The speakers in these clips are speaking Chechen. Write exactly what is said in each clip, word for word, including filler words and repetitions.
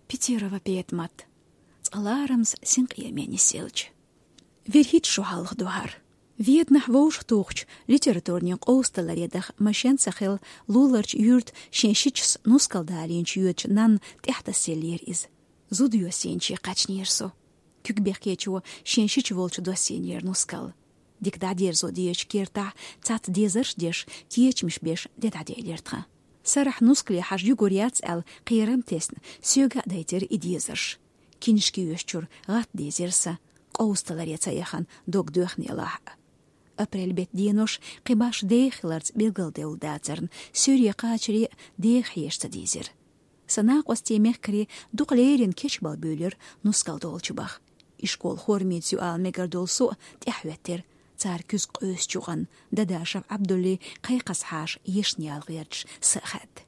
Петирова Петмат. Цкъа ларамза синкъераме нисъелча. Вир хӀитта шо хьалха ду хӀара. Веданахь вовшахтухучу литературни къовсадаларе даха машен ца хилла, луларчу юьрта шен шичас нускал далийначу йоьдучу нанна тӀаьхьатасаеллера иза. Зуда йоссийначе кхаьчнера со. Куьг бехкечо шен шича волчу доссийнера нускал. Дика дӀадерзо дезачу кертахь, цхьацца дезарш а деш, кечамаш беш де дӀаделира тхан. Сарахь нускале хьажа югур яц аьлла, кхерам а тесна, соьга а дайтира и дезарш. Киншка йоьшучуьра гӀатта дезира сан, къовсадаларе ца яхана дог доьхнехь а. Апрель беттан денош кхин башха деха хиларца билгалдевлла дацарна, суьйре кхачаре а деха хьежа ца дийзира. Сан накъостий, мехкарий дукха леррина кечбала буьйлира нускал долчу баха. И школа формица ю ала мегар долу со а тӀаьхьахӀоьттира, цара куьзга къуьйсучу юкъана Дадашев Ӏабдуллин кхайкхаза хьаша ешна яла гӀерташ са а хаьдда.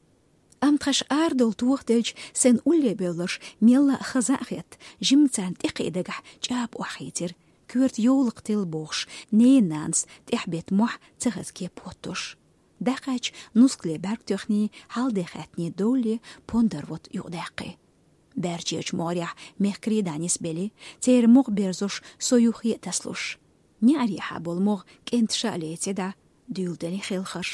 Амма тхан ша арадовла тохаделча, сайна улле бевлларш мелла а хаза а хетта, жимма царна тӀекхиа дагахь чӀапа охьахийцира, коьрта йовлакх тилла бохуш, ненан нанас тӀаьхьабетта мохь ца хаза кеп хӀоттош. ДӀакхаьчча, нускале бӀаьрг тоьхний, хьал-де хаьттиний довлале, пондар вотта юкъадаьккхи. Баьрчерачу могӀарехь мехкарий дӀанисбелли, церан мукъа берзош, со юххе а тасалуш. НеӀарехьа болу могӀа кӀенташа а леци дӀа, дуьйладели хелхарш.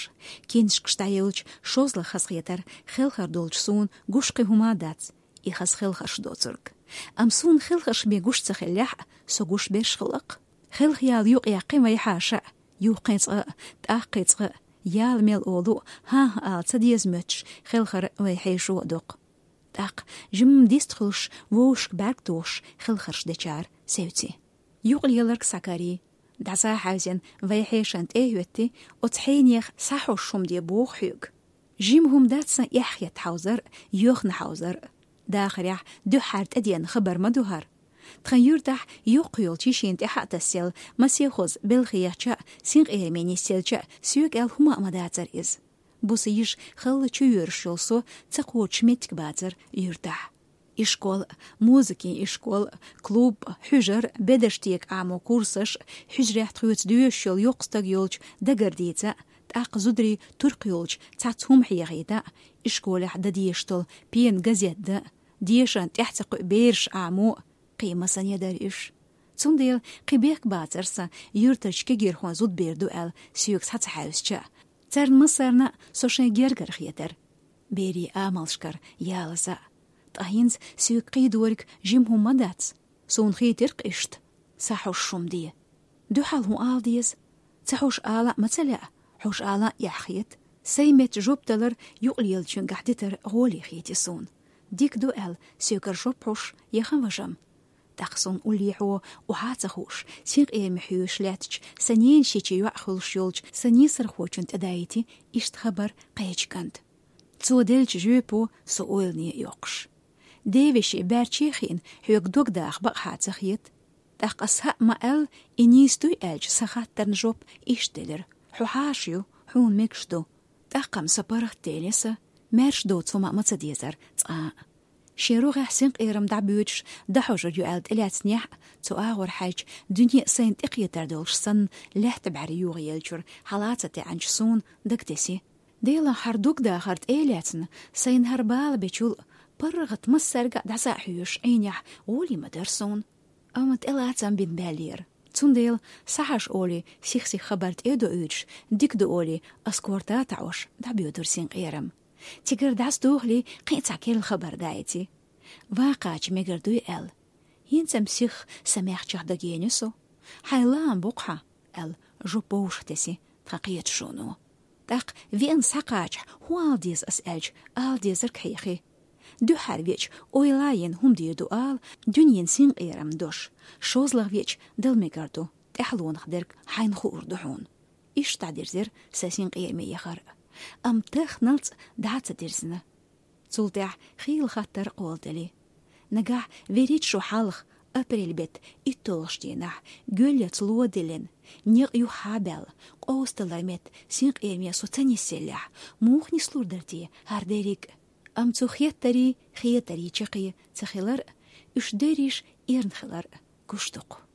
Киншкаш дӀаевлча, шозлагӀа хазахетара, хелхар долчу суна гуш кхин хӀума а дац, и хаза хелхарш доцург. Амма суна хелхарш бен гуш ца хиллехь а, со гуш берш хилла-кх. Хелхаяла юкъаяьккхи вайхьаша а, юххе цкъа а, тӀаккха цкъа а, яла мел олу а, хӀан-хӀа ала ца деза моьттуш хелхар вайхьешо а доккху. ТӀаккха жимма дистхуьлуш, вовшашка бӀаьрг тухуш хелхарш дечара севци. Юкъалеларг схьакарий, дӀасахьаьвзина вайхьешана тӀе а хӀоьттий, оцу хьенех схьахьожуш хӀума де боху хьоьга. Жима хӀума дац сан эхь хетта хьовзар а, йоьхна хьовзар а. Дахарехь, дуьххьара тӀедеана хабар ма ду хӀара. Тхан юьртахь йоккха йолчу йишина тӀаьхьа а тасаелла, масехоза белхи ехча а, синкъераме нисъелча а, соьга аьлла хӀума а ма дацара иза. Буса йиша халла чу йоьрзуш йолу со ца кхочуш меттиг бацара юьртахь. И школа а, музыкин и школа а, клуб а, хьуьжар а, бедарш тӀе Ӏамо курсаш а, хьуьжарехь тхоьца доьшуш йолу йоккха стаг йолчу дагар дийца а, тӀаккха зударий туркх йолчу цхьацца хӀума хьехийта а, и школехь дан дезаш долу пена газет дан а, дешан тӀаьхьа ца кхуьу бераш Ӏамо а, кхин масане дара уьш. Цундела кхин бехк бацара сан юьртарчу кегийрхойн зудбер ду аьлла соьга схьа ца хьаьвзича а. Царна массарна а со шайн гергара хетара. Берийн амалшкара ялаза а. Ткъа хӀинца соьга кхийдориг жима хӀума ма дац. Суна хийтира-кх иштта схьахьожуш хӀума де. Дуьхьал хӀун ала деза? Ца хьожуш ала а ма ца лаьа, хьожуш ала а эхь хета. Сайн метта жоп далар юкъалелачуьнгахь дитар гӀоле хийти суна. Дика ду аьлла, соьгара жоп хьожуш яхана важам. ТӀаккха суна уллехьо, охьа а ца хууш, синкъераме хьоьжуш лаьттачу сан ненан шичи йоӀ хуьлуш йолчу сан нийсархочунна тӀедаийти иштта хабар кхечу кӀанта. Цо деллачу жоьпо со ойлане а йоккхуш. Девешин баьрче а хиъна, хьоьга дог даха бакъахьа ца хета. ТӀаккха ас хӀаъ ма-аьлла, и нийса дуй аьлча, сан хаттарна жоп иштта делира: хьо хьаша ю, хьуна мегаш ду. ТӀаккха-м со паргӀатделира сан, маьрша доцу хӀума а ма ца дезара цкъа а. Шен рогӀехь синкъерам дӀабоьдуш, дӀахьожур ю аьлла тӀелаьцнехь а, цу агӀор хьаьжча, дуьне сайна тӀекхетар долуш санна, лаьтта бӀаьрра югӀаеллачуьра хьала а ца таьӀначу суна дагатеси. Делахь, хӀара дог дахар тӀе а лаьцна, сайна хӀара бала бечул а, паргӀат массаьрга а дӀаса а хьоьжуш Ӏийнехь гӀоле ма дара суна. Амма тӀелаца-м бина баьллера. Цундела, схьахьажа олий, сих-сиха хабар тӀе а доуьйтуш, дика ду олий, ас корта а таӀош, дӀабоьдура синкъерам. Цигара дӀасадохалий, кхин а цхьа керла хабар даийти. Ван кхача мегар дуй аьлла. ХӀинца-м сих сан мехчех дагайийна со. Хьайн лаам боккху хьан, аьлла, жоп вовшахтеси тхан кхеташоно. ТӀаккха веана схьакхачахь, хӀун ала деза ас аьлча, ала дезарг хьехи. Дуьххьара веача, ойла а йина, хӀума дийр ду ала, дуьненан синкъерам дош. ШозлагӀа веача, дала мегар ду, тӀаьхьалонах дерг хьайна хуур ду хьуна. Иштта дӀадирзира сан синкъераме яхар а. Амма тахханалц дӀа а ца дирзина. Цул тӀаьхьа хийла хаттар кхолладели. Нагахь, вуьрхӀитта шо хьалха, апрель беттан итталгӀачу дийнахь, гоьллаца ло а диллина, некъ юххьа а баьлла, къовсадалар метта синкъераме со ца нисъеллехь, муха нислур дара те хӀара дерриг а? Амма цу хеттарий, хетарий чаккхе ца хилар а, уьш дерриш эрна хилар а гуш ду-кх.